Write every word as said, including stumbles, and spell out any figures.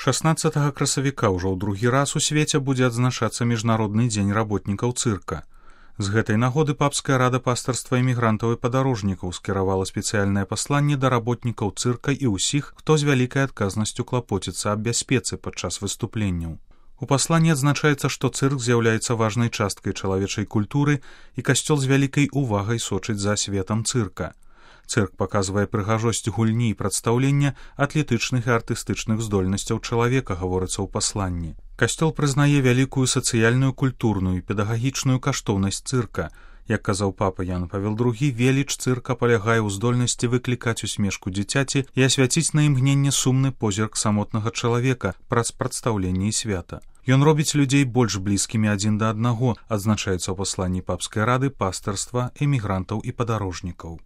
шаснаццатага красавіка ўжо ў другі раз у свеце будзе адзначацца міжнародны дзень работнікаў цырка. З гэтай нагоды папская рада пастырства эмігрантаў і падарожнікаў скіравала спецыяльнае пасланне да работнікаў цырка і ўсіх, хто з вялікай адказнасцю клапоціцца аб бяспецы падчас выступленняў. У пасланні адзначаецца, што цырк з'яўляецца важнай часткай чалавечай культуры і касцёл з вялікай увагай сочыць за светам цырка. Цырк паказвае прыгажосць гульні і прадстаўлення атлетычных і артыстычных здольнасцяў чалавека, гаворыцца ў пасланні. Касцёл прызнае вялікую сацыяльную, культурную і педагагічную каштоўнасць цырка. Як казаў папа Ян Павел другі, веліч цырка палягае ў здольнасці выклікаць усмешку дзіцяці і асвяціць на імгненне сумны позірк самотнага чалавека праз прадстаўленне і свята. Ён робіць людзей больш блізкімі адзін да аднаго, адзначаецца ў пасланні папскай рады пастырства, эмігрантаў і падарожнікаў.